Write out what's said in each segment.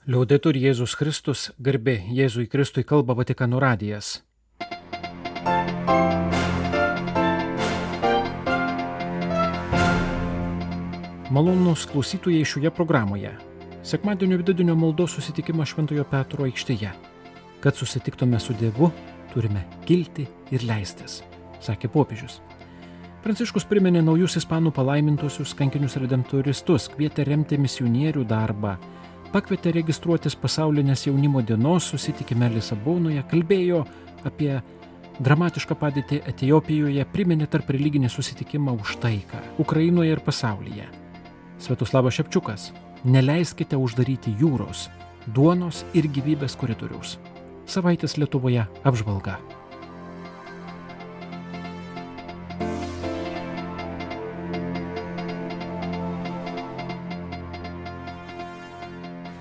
Liaudetur Jėzus Kristus, garbė Jėzui Kristui, kalba Vatikano radijas. Malonūs klausytojai šioje programoje. Sekmadienio vidudienio maldos susitikimą Šventojo Petro aikštėje. Kad susitiktume su Dievu, turime kilti ir leistis, sakė popiežius. Pranciškus priminė naujus ispanų palaimintuosius kankinius redemptoristus, kvietė remti misionierių darbą, pakvietė registruotis pasaulinės jaunimo dienos susitikime Lisabonoje, kalbėjo apie dramatišką padėtį Etiopijoje, priminė tarp religinį susitikimą už taiką Ukrainoje ir pasaulyje. Sviatoslavas Šepčiukas: neleiskite uždaryti jūros, duonos ir gyvybės koridoriaus. Savaitės Lietuvoje apžvalga.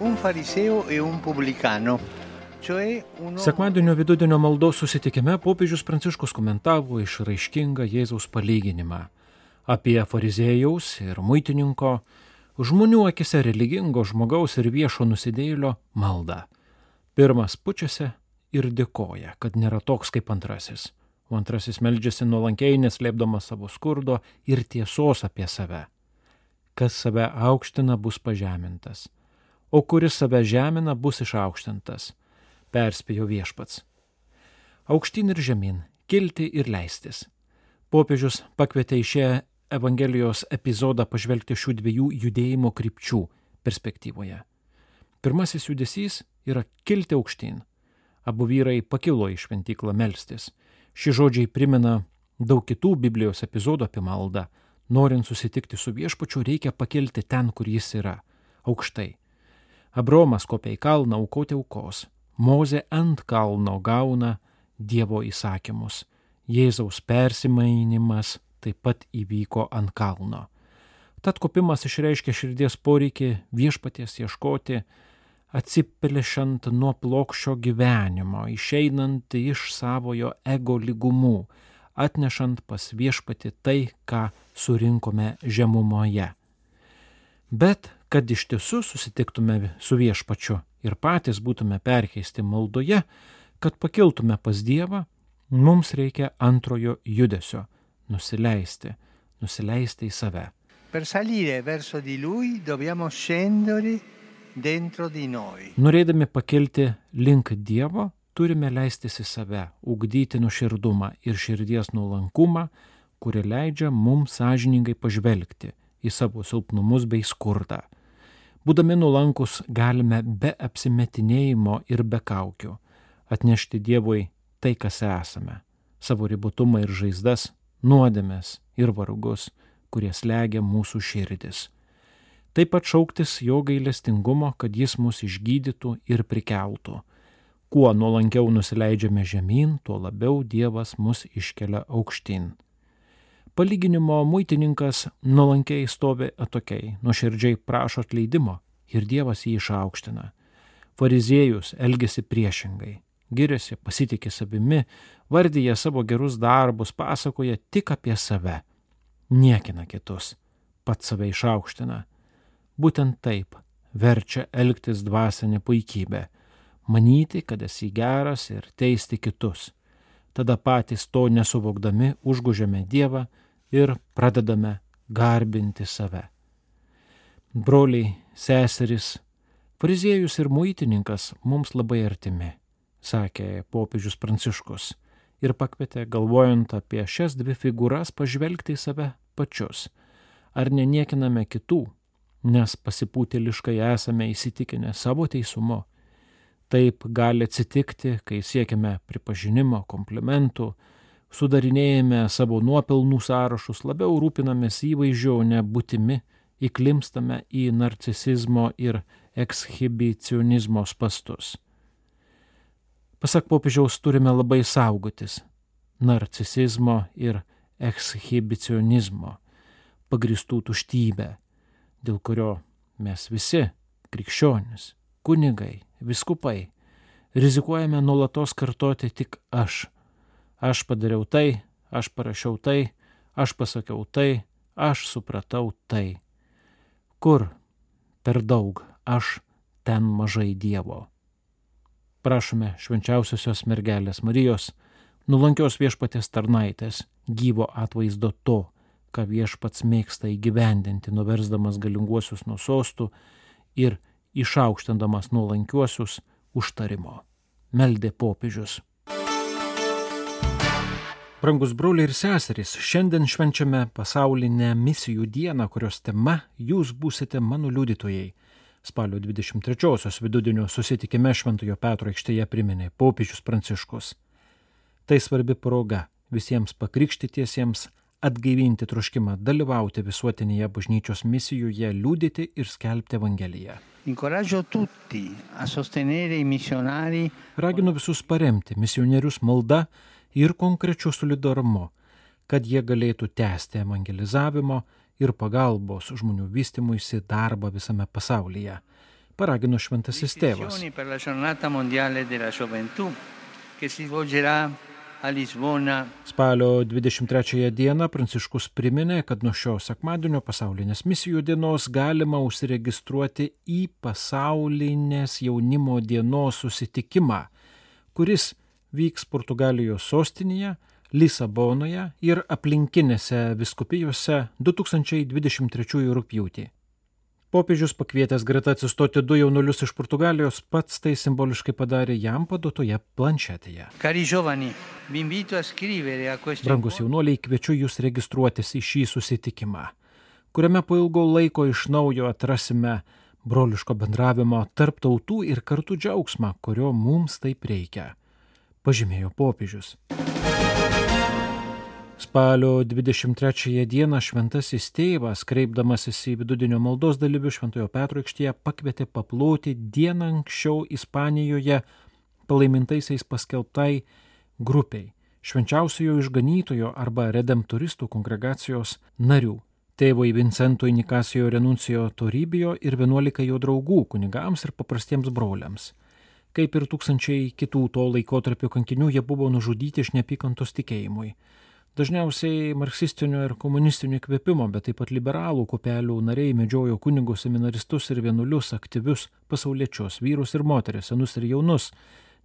Un fariseo e un pubblicano, cioè uno... Sekmadienio vidudienio maldos susitikime popiežius Pranciškus komentavo išraiškingą Jėzaus palyginimą apie fariziejaus ir muitininko, žmonių akise religingo žmogaus ir viešo nusidėjėlio maldą. Pirmas pučiasi ir dėkoja, kad nėra toks kaip antrasis, o antrasis meldžiasi nuolankiai, neslėpdamas savo skurdo ir tiesos apie save. Kas save aukština, bus pažemintas, o kuris save žemina, bus išaukštintas, perspėjo viešpats. Aukštyn ir žemyn, kilti ir leistis. Popiežius pakvietė į šią Evangelijos epizodą pažvelgti šių dviejų judėjimo krypčių perspektyvoje. Pirmasis judesys yra kilti aukštyn. Abu vyrai pakilo į šventyklą melstis. Šie žodžiai primena daug kitų Biblijos epizodų apie maldą. Norint susitikti su viešpačiu, reikia pakilti ten, kur jis yra, aukštai. Abraomas kopia į kalną aukoti aukos. Mozė ant kalno gauna Dievo įsakymus. Jėzaus persimainimas taip pat įvyko ant kalno. Tad kopimas išreiškia širdies poreikį viešpaties ieškoti, atsiplėšant nuo plokščio gyvenimo, išeinant iš savojo ego lygumų, atnešant pas viešpatį tai, ką surinkome žemumoje. Bet kad iš tiesų susitiktume su viešpačiu ir patys būtume perkeisti maldoje, kad pakiltume pas Dievą, mums reikia antrojo judesio – nusileisti į save. Per salire verso di lui dobbiamo scendere dentro di noi. Norėdami pakilti link Dievo, turime leistis į save, ugdyti nuoširdumą ir širdies nuolankumą, kuri leidžia mums sąžiningai pažvelgti į savo silpnumus bei skurdą. Būdami nuolankus galime be apsimetinėjimo ir be kaukių atnešti Dievui tai, kas esame, savo ribotumą ir žaizdas, nuodėmes ir vargus, kurie slegia mūsų širdis. Taip pat šauktis jo gailestingumo, kad jis mus išgydytų ir prikeltų. Kuo nuolankiau nusileidžiame žemyn, tuo labiau Dievas mus iškelia aukštyn. Palyginimo muitininkas nuolankiai stovi atokiai, nuoširdžiai prašo atleidimo ir Dievas jį išaukština. Fariziejus elgiasi priešingai, giriasi, pasitiki savimi, vardyja savo gerus darbus, pasakoja tik apie save, niekina kitus, pats save išaukština. Būtent taip verčia elgtis dvasinė puikybė, manyti, kad esi geras ir teisti kitus. Tada patys to nesuvokdami užgožiame Dievą ir pradedame garbinti save. Broliai, seserys, fariziejus ir muitininkas mums labai artimi, sakė popiežius Pranciškus ir pakvietė, galvojant apie šias dvi figūras, pažvelgti į save pačius. Ar neniekiname kitų, nes pasipūtėliškai esame įsitikinę savo teisumu. Taip gali atsitikti, kai siekime pripažinimo, komplimentų, sudarinėjame savo nuopelnų sąrašus, labiau rūpinamės įvaizdžiu, o ne būtimi, įklimpstame į narcisizmo ir ekshibicionizmo spastus. Pasak popiežiaus, turime labai saugotis narcisizmo ir ekshibicionizmo, pagristų tuštybę, dėl kurio mes visi, krikščionys, kunigai, vyskupai, rizikuojame nuolatos kartoti tik aš. Aš padariau tai, aš parašiau tai, aš pasakiau tai, aš supratau tai. Kur per daug aš ten mažai Dievo. Prašome švenčiausiosios mergelės Marijos, nuolankios Viešpaties tarnaitės, gyvo atvaizdo to, ką Viešpats mėgsta įgyvendinti, nuversdamas galinguosius nuo sostų ir išaukštindamas nuolankiuosius užtarimo. Meldė popiežius. Brangus broliai ir seserys, šiandien švenčiame pasaulinę misijų dieną, kurios tema jūs būsite mano liudytojai. Spalio 23-osios vidudienio susitikime Šventojo Petro aikštėje priminė popiežius Pranciškus. Tai svarbi proga visiems pakrikštytiesiems atgaivinti troškimą dalyvauti visuotinėje bažnyčios misijoje, liudyti ir skelbti Evangeliją. Raginu visus paremti misionierius malda ir konkrečiu solidarumu, kad jie galėtų tęsti evangelizavimo ir pagalbos žmonių vystymuisi darbą visame pasaulyje. Paragino Šventasis Tėvas. Spalio 23 dieną Pranciškus priminė, kad nuo šio sekmadienio pasaulinės misijų dienos galima užsiregistruoti į pasaulinės jaunimo dienos susitikimą, kuris vyks Portugalijos sostinėje, Lisabonoje ir aplinkinėse vyskupijose 2023 rugpjūtį. Popiežius pakvietęs greta atsistoti 2 jaunuolius iš Portugalijos pats tai simboliškai padarė jam paduotoje planšetėje. Brangus jaunuoliai, kviečiu jūs registruotis į šį susitikimą, kuriame po ilgo laiko iš naujo atrasime broliško bendravimo tarp tautų ir kartu džiaugsmą, kurio mums taip reikia, pažymėjo popiežius. Spalio 23 dieną Šventasis Tėvas, kreipdamasis į vidudienio maldos dalyvių Šventojo Petro aikštėje, pakvietė paploti dieną anksčiau Ispanijoje palaimintaisiais paskelbtai grupiai švenčiausiojo išganytojo arba redemptoristų kongregacijos narių, tėvui Vincentui Nicasio Renuncijo Toribio ir 11 jo draugų kunigams ir paprastiems broliams. Kaip ir tūkstančiai kitų to laikotarpio kankinių, jie buvo nužudyti iš neapykantos tikėjimui. Dažniausiai marksistinio ir komunistinio įkvėpimo, bet taip pat liberalų kupelių nariai medžiojo kunigus, seminaristus ir vienuolius, aktyvius pasauliečius, vyrus ir moteris, senus ir jaunus,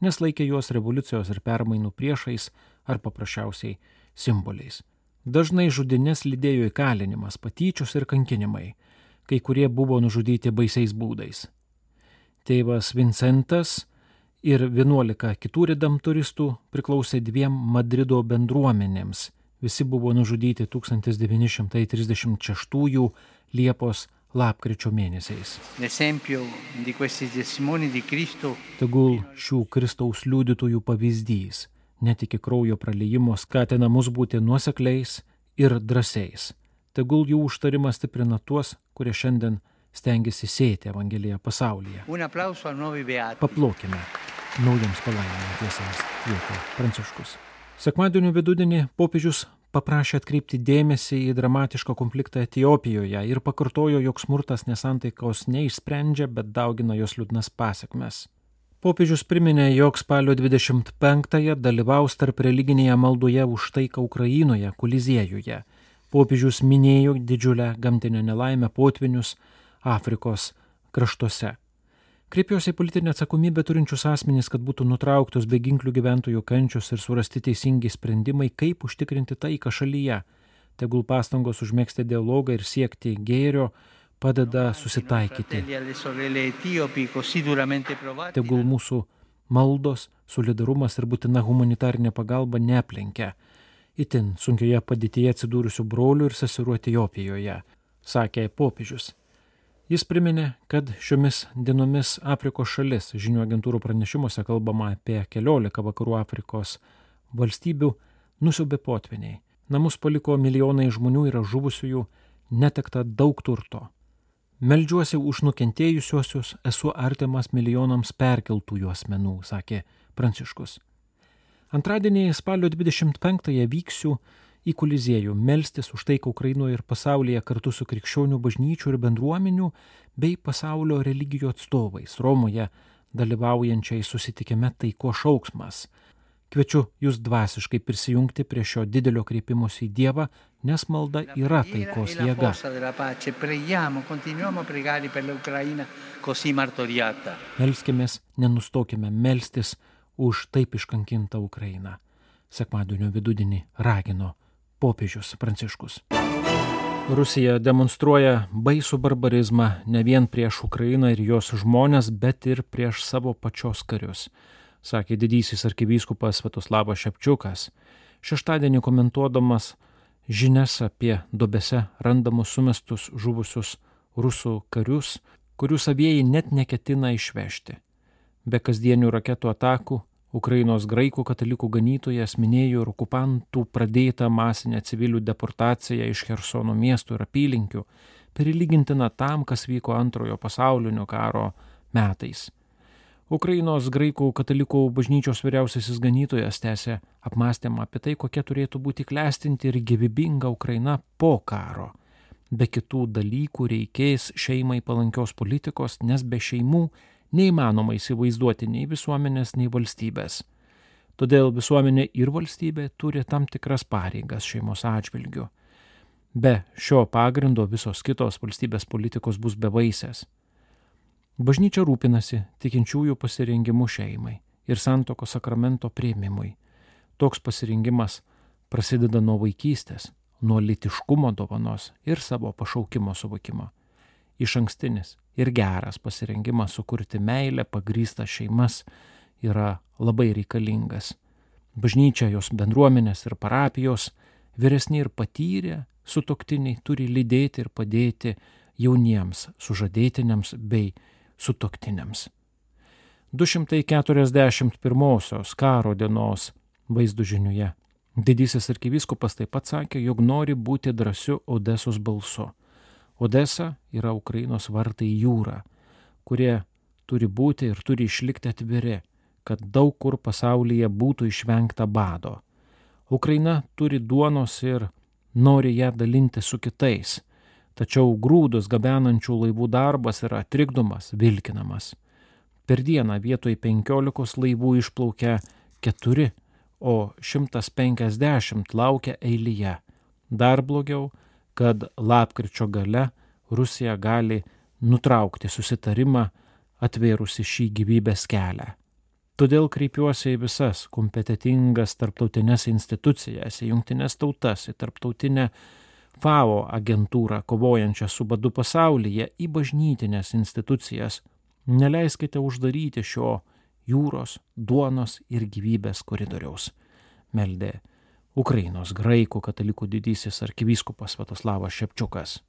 nes laikė juos revoliucijos ir permainų priešais ar paprasčiausiai simboliais. Dažnai žudynės lydėjo įkalinimas, patyčios ir kankinimai, kai kurie buvo nužudyti baisiais būdais. Tėvas Vincentas ir 11 kitų redemptoristų priklausė 2 Madrido bendruomenėms. Visi buvo nužudyti 1936 Liepos-lapkričio mėnesiais. Tegul šių Kristaus liudytojų pavyzdys, net iki kraujo praliejimo, skatina mus būti nuosekliais ir drąsiais. Tegul jų užtarimas stiprina tuos, kurie šiandien stengiasi sėti Evangeliją pasaulyje. Paplokime naujams palaimintiesiems, kvietė Pranciškus. Sekmadienio vidudienį popiežius paprašė atkreipti dėmesį į dramatišką konfliktą Etiopijoje ir pakartojo, jog smurtas nesantaikos neišsprendžia, bet daugina jos liūdnas pasekmes. Popiežius priminė, jog spalio 25-ąją dalyvaus tarp religinėje maldoje už taiką Ukrainoje, Koliziejuje. Popiežius minėjo didžiulę gamtinę nelaimę, potvynius Afrikos kraštuose. Kreipiuosi į politinę atsakomybę turinčius asmenys, kad būtų nutrauktos beginklių gyventojų kančios ir surasti teisingi sprendimai, kaip užtikrinti taiką šalyje. Tegul pastangos užmegzti dialogą ir siekti gėrio padeda susitaikyti. Tegul mūsų maldos, solidarumas ir būtina humanitarinė pagalba neaplenkia itin sunkioje padėtyje atsidūrusių brolių ir seserų Etiopijoje, sakė popiežius. Jis priminė, kad šiomis dienomis Afrikos šalis, žinių agentūrų pranešimuose kalbama apie 14 vakarų Afrikos valstybių, nusiaubė potvyniai. Namus paliko milijonai žmonių, yra žuvusiųjų, netekta daug turto. Meldžiuosi už nukentėjusiuosius, esu artimas milijonams perkeltųjų asmenų, sakė Pranciškus. Antradienį spalio 25-ąją vyksiu į Koliziejų melstis už taiką Ukrainoje ir pasaulyje kartu su krikščionių bažnyčių ir bendruomenių bei pasaulio religijų atstovais Romoje dalyvaujančiai susitikime taikos šauksmas. Kviečiu jūs dvasiškai prisijungti prie šio didelio kreipimosi į Dievą, nes malda yra taikos jėga. Melskimės, nenustokime melstis už taip iškankintą Ukrainą. Sekmadienio vidudienį ragino popiežius Pranciškus. Rusija demonstruoja baisų barbarizmą ne vien prieš Ukrainą ir jos žmones, bet ir prieš savo pačios karius, sakė didysis arkivyskupas Sviatoslavas Šepčiukas, šeštadienį komentuodamas žinias apie duobėse randamus sumestus žuvusius rusų karius, kurių savieji net neketina išvežti. Be kasdienių raketų atakų, Ukrainos graikų katalikų ganytojas minėjo ir okupantų pradėtą masinę civilių deportaciją iš Chersono miestų ir apylinkių, prilygintina tam, kas vyko Antrojo pasaulinio karo metais. Ukrainos graikų katalikų bažnyčios vyriausiasis ganytojas tęsė apmąstymą apie tai, kokia turėtų būti klestinti ir gyvybinga Ukraina po karo. Be kitų dalykų reikės šeimai palankios politikos, nes be šeimų neįmanoma įsivaizduoti nei visuomenės, nei valstybės. Todėl visuomenė ir valstybė turi tam tikras pareigas šeimos atžvilgiu. Be šio pagrindo visos kitos valstybės politikos bus bevaisės. Bažnyčia rūpinasi tikinčiųjų pasirengimu šeimai ir santuokos sakramento priėmimui. Toks pasirengimas prasideda nuo vaikystės, nuo lytiškumo dovanos ir savo pašaukimo suvokimo. Išankstinis ir geras pasirengimas sukurti meilę pagrįstas šeimas yra labai reikalingas. Bažnyčia, jos bendruomenės ir parapijos, vyresni ir patyrę sutuoktiniai turi lydėti ir padėti jauniems sužadėtiniams bei sutuoktiniams. 241 karo dienos vaizdų žiniuje didysis arkivyskupas taip pat sakė, jog nori būti drąsiu Odesos balsu. Odesa yra Ukrainos vartai į jūrą, kurie turi būti ir turi išlikti atviri, kad daug kur pasaulyje būtų išvengta bado. Ukraina turi duonos ir nori ją dalinti su kitais, tačiau grūdus gabenančių laivų darbas yra trikdomas, vilkinamas. Per dieną vietoj 15 laivų išplaukia 4, o 150 laukia eilėje. Dar blogiau, kad lapkričio gale Rusija gali nutraukti susitarimą, atvėrusi šį gyvybės kelią. Todėl kreipiuosi į visas kompetitingas tarptautinės institucijas, į Jungtines tautas, į tarptautinę FAO agentūrą kovojančią su badu pasaulyje, į bažnytinės institucijas. Neleiskite uždaryti šio jūros, duonos ir gyvybės koridoriaus, meldė Ukrainos graikų katalikų didysis arkivyskupas Sviatoslavas Šepčiukas.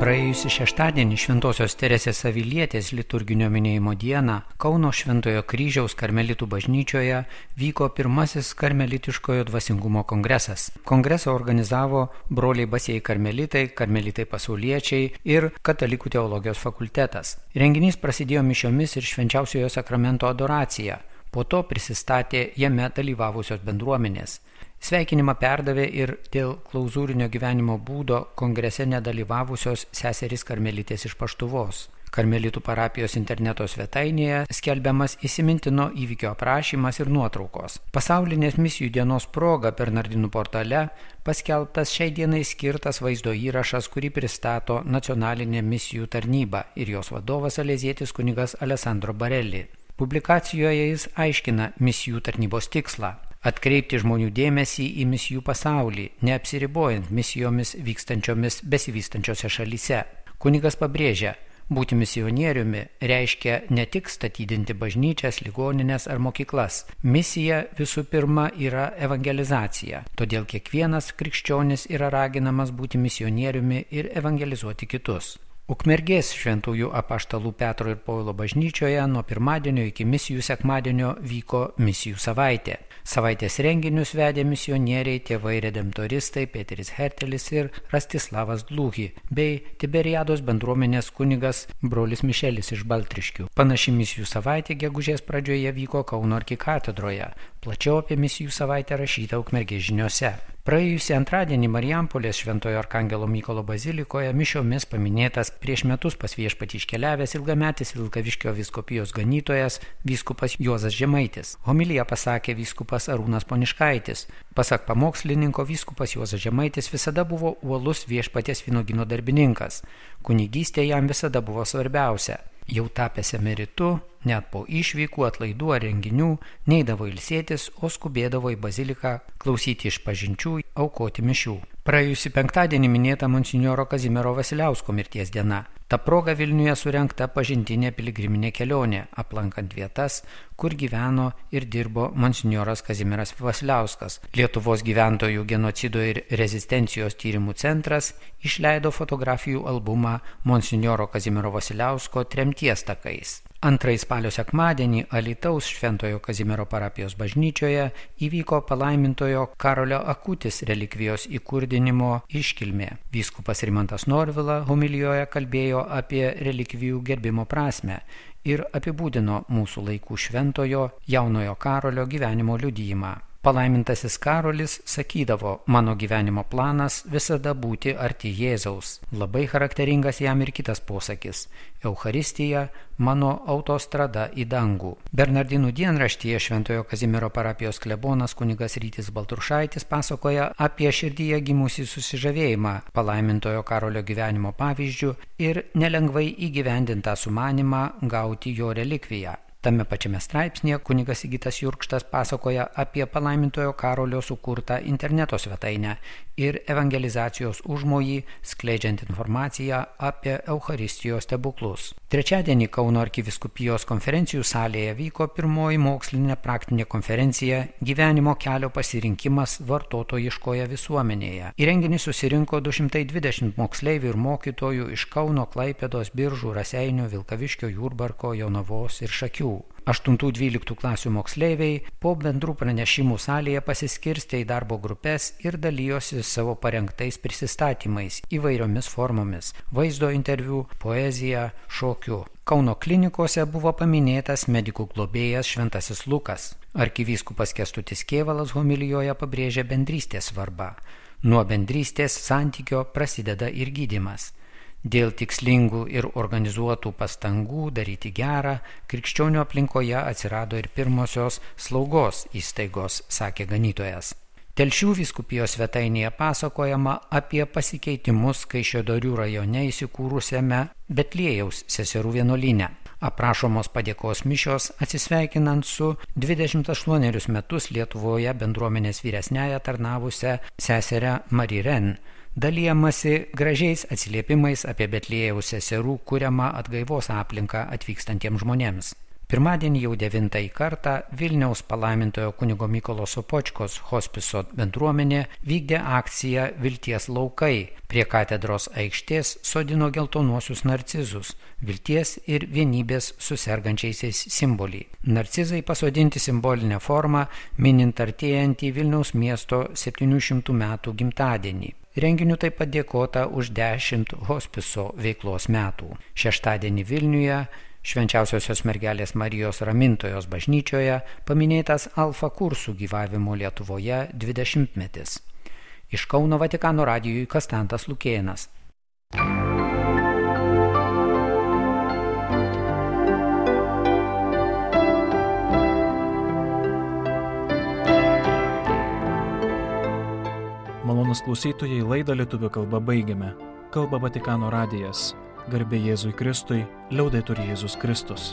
Praėjusį šeštadienį Šventosios Teresės Avilietės liturginio minėjimo dieną Kauno Šventojo Kryžiaus karmelitų bažnyčioje vyko pirmasis karmelitiškojo dvasingumo kongresas. Kongresą organizavo broliai basieji karmelitai, karmelitai pasauliečiai ir Katalikų teologijos fakultetas. Renginys prasidėjo mišiomis ir švenčiausiojo sakramento adoracija. Po to prisistatė jame dalyvavusios bendruomenės. Sveikinimą perdavė ir dėl klauzūrinio gyvenimo būdo kongrese nedalyvavusios seserys karmelitės iš Paštuvos. Karmelitų parapijos interneto svetainėje skelbiamas įsimintino įvykio aprašymas ir nuotraukos. Pasaulinės misijų dienos proga Bernardinų portale paskelbtas šiai dienai skirtas vaizdo įrašas, kurį pristato nacionalinė misijų tarnyba ir jos vadovas salezietis kunigas Alessandro Barelli. Publikacijoje jis aiškina misijų tarnybos tikslą – atkreipti žmonių dėmesį į misijų pasaulį, neapsiribojant misijomis vykstančiomis besivystančiose šalyse. Kunigas pabrėžia, būti misionieriumi reiškia ne tik statydinti bažnyčias, ligonines ar mokyklas. Misija visų pirma yra evangelizacija, todėl kiekvienas krikščionis yra raginamas būti misionieriumi ir evangelizuoti kitus. Ukmergės šventųjų apaštalų Petro ir Povilo bažnyčioje nuo pirmadienio iki misijų sekmadienio vyko misijų savaitė. Savaitės renginius vedė misionieriai, tėvai redemptoristai Peteris Hertelis ir Rastislavas Dluhi, bei Tiberiados bendruomenės kunigas brolis Mišelis iš Baltriškių. Panaši misijų savaitė gegužės pradžioje vyko Kauno arkikatedroje. Plačiau apie misijų savaitę rašyta Ukmergės žiniose. Praėjusį antradienį Marijampolės Šventojo Arkangelo Mykolo bazilikoje mišiomis paminėtas prieš metus pas Viešpatį iškeliavęs ilgametis Vilkaviškio vyskupijos ganytojas vyskupas Juozas Žemaitis. Homiliją pasakė vyskupas Arūnas Poniškaitis. Pasak pamokslininko, vyskupas Juozas Žemaitis visada buvo uolus Viešpaties vynuogyno darbininkas. Kunigystė jam visada buvo svarbiausia. Jau tapęs emeritu, net po išvykų, atlaidų ar renginių, neidavo ilsėtis, o skubėdavo į baziliką klausyti išpažinčių, aukoti mišių. Praėjusį penktadienį minėta monsinjoro Kazimiero Vasiliausko mirties diena. Ta proga Vilniuje surengta pažintinė piligriminė kelionė, aplankant vietas, kur gyveno ir dirbo monsinjoras Kazimieras Vasiliauskas. Lietuvos gyventojų genocido ir rezistencijos tyrimų centras išleido fotografijų albumą monsinjoro Kazimiero Vasiliausko tremties takais. Antrąjį spalio sekmadienį Alytaus Šventojo Kazimiero parapijos bažnyčioje įvyko palaimintojo Karolio Akutis relikvijos įkurdinimo iškilmė. Vyskupas Rimantas Norvila homilijoje kalbėjo apie relikvijų gerbimo prasmę ir apibūdino mūsų laikų šventojo jaunojo Karolio gyvenimo liudijimą. Palaimintasis Karolis sakydavo, mano gyvenimo planas visada būti arti Jėzaus. Labai charakteringas jam ir kitas posakis – Eucharistija – mano autostrada į dangų. Bernardinų dienraštyje Šventojo Kazimiero parapijos klebonas kunigas Rytis Baltrušaitis pasakoja apie širdyje gimusį susižavėjimą palaimintojo Karolio gyvenimo pavyzdžių ir nelengvai įgyvendintą sumanimą gauti jo relikviją. Tame pačiame straipsnėje kunigas Sigitas Jurkštas pasakoja apie palaimintojo Karolio sukurtą interneto svetainę ir evangelizacijos užmojį, skleidžiant informaciją apie Eucharistijos stebuklus. Trečiadienį Kauno arkivyskupijos konferencijų salėje vyko pirmoji mokslinė praktinė konferencija Gyvenimo kelio pasirinkimas vartotojiškoje visuomenėje. Į renginį susirinko 220 moksleivių ir mokytojų iš Kauno, Klaipėdos, Biržų, Raseinių, Vilkaviškio, Jurbarko, Jonavos ir Šakių. 8-12 klasių moksleiviai po bendrų pranešimų salėje pasiskirstė į darbo grupės ir dalijosi savo parengtais prisistatymais įvairiomis formomis – vaizdo interviu, poezija, šokiu. Kauno klinikose buvo paminėtas medikų globėjas Šventasis Lukas. Arkivyskupas Kęstutis Kėvalas homilijoje pabrėžė bendrystės svarbą. Nuo bendrystės santykio prasideda ir gydymas. Dėl tikslingų ir organizuotų pastangų daryti gerą, krikščionių aplinkoje atsirado ir pirmosios slaugos įstaigos, sakė ganytojas. Telšių vyskupijos svetainėje pasakojama apie pasikeitimus Kaišiadorių rajone įsikūrusiame Betliejaus seserų vienuolyne. Aprašomos padėkos mišios atsisveikinant su 28 metus Lietuvoje bendruomenės vyresniąja tarnavusią seserę Mariren. Dalijamasi gražiais atsiliepimais apie Betliejaus seserų kuriamą atgaivos aplinką atvykstantiems žmonėms. Pirmadienį jau 9 kartą Vilniaus palaimintojo kunigo Mykolo Sopočkos hospiso bendruomenė vykdė akciją Vilties laukai. Prie katedros aikštės sodino geltonuosius narcizus, vilties ir vienybės su sergančiaisiais simbolį. Narcizai pasodinti simbolinę formą, minint artėjantį Vilniaus miesto 700 metų gimtadienį. Renginių taip pat dėkota už 10 hospiso veiklos metų. Šeštadienį Vilniuje Švenčiausiosios mergelės Marijos Ramintojos bažnyčioje paminėtas Alfa kursų gyvavimo Lietuvoje 20-metis. Iš Kauno Vatikano radijui Kastantas Lukėnas. Malonūs klausytojai, laidą lietuvių kalba baigiame. Kalba Vatikano radijas. Garbė Jėzui Kristui, liaudetur Jėzus Kristus.